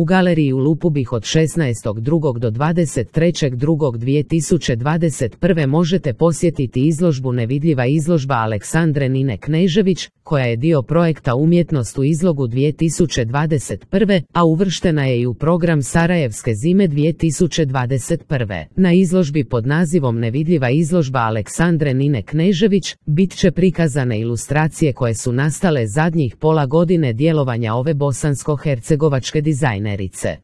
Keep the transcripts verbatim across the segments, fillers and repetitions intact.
U galeriji u Lupubih od šesnaestog drugog do dvadeset trećeg drugog dvije tisuće dvadeset prve možete posjetiti izložbu Nevidljiva izložba Aleksandre Nine Knežević, koja je dio projekta Umjetnost u izlogu dvije tisuće dvadeset prve, a uvrštena je i u program Sarajevske zime dvije tisuće dvadeset prve. Na izložbi pod nazivom Nevidljiva izložba Aleksandre Nine Knežević bit će prikazane ilustracije koje su nastale zadnjih pola godine djelovanja ove bosansko-hercegovačke dizajnerice.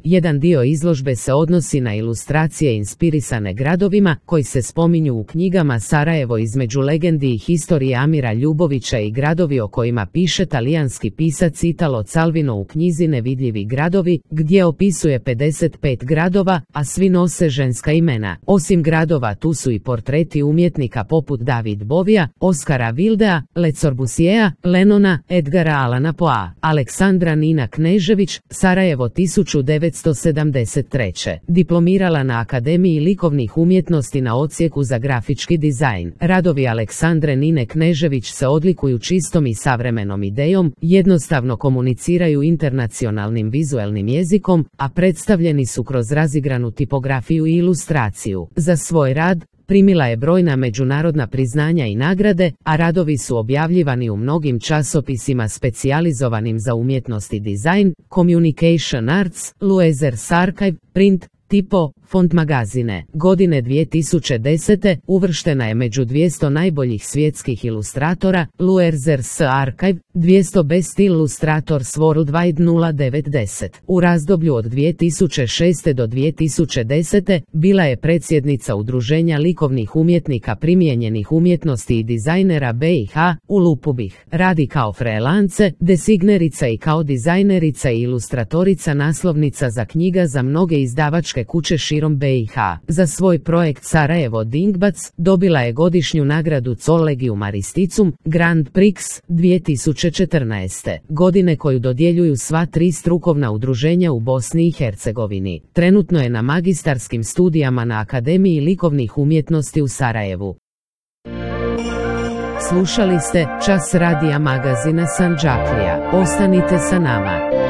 Jedan dio izložbe se odnosi na ilustracije inspirisane gradovima koji se spominju u knjigama Sarajevo između legendi i historije Amira Ljubovića i gradovi o kojima piše talijanski pisac Italo Calvino u knjizi Nevidljivi gradovi, gdje opisuje pedeset pet gradova, a svi nose ženska imena. Osim gradova tu su i portreti umjetnika poput David Bovija, Oskara Wildea, Le Corbusiera, Lenona, Edgara Allana Poea. Aleksandra Nina Knežević, Sarajevo tisuću devetsto sedamdeset treće. Diplomirala na Akademiji likovnih umjetnosti na odsjeku za grafički dizajn. Radovi Aleksandre Nine Knežević se odlikuju čistom i savremenom idejom, jednostavno komuniciraju internacionalnim vizuelnim jezikom, a predstavljeni su kroz razigranu tipografiju i ilustraciju. Za svoj rad primila je brojna međunarodna priznanja i nagrade, a radovi su objavljivani u mnogim časopisima specijalizovanim za umjetnost i dizajn, Communication Arts, Luezers Archive, Print, Tipo, Font magazine. Godine dvije tisuće desete uvrštena je među dvjesto najboljih svjetskih ilustratora, Luezers Archive, dvjesto Best Illustrators Worldwide nula devet deset. U razdoblju od dvije tisuće šeste do dvije tisuće desete bila je predsjednica Udruženja likovnih umjetnika primijenjenih umjetnosti i dizajnera B i H u Lupubih. Radi kao freelance, designerica i kao dizajnerica i ilustratorica naslovnica za knjiga za mnoge izdavačke kuće širom B i H. Za svoj projekt Sarajevo Dingbac dobila je godišnju nagradu Collegium Aristicum Grand Prix dvije tisuće četrnaeste. godine koju dodjeljuju sva tri strukovna udruženja u Bosni i Hercegovini. Trenutno je na magistarskim studijama na Akademiji likovnih umjetnosti u Sarajevu. Slušali ste Čas radija magazina Sandžaklija. Ostanite sa nama.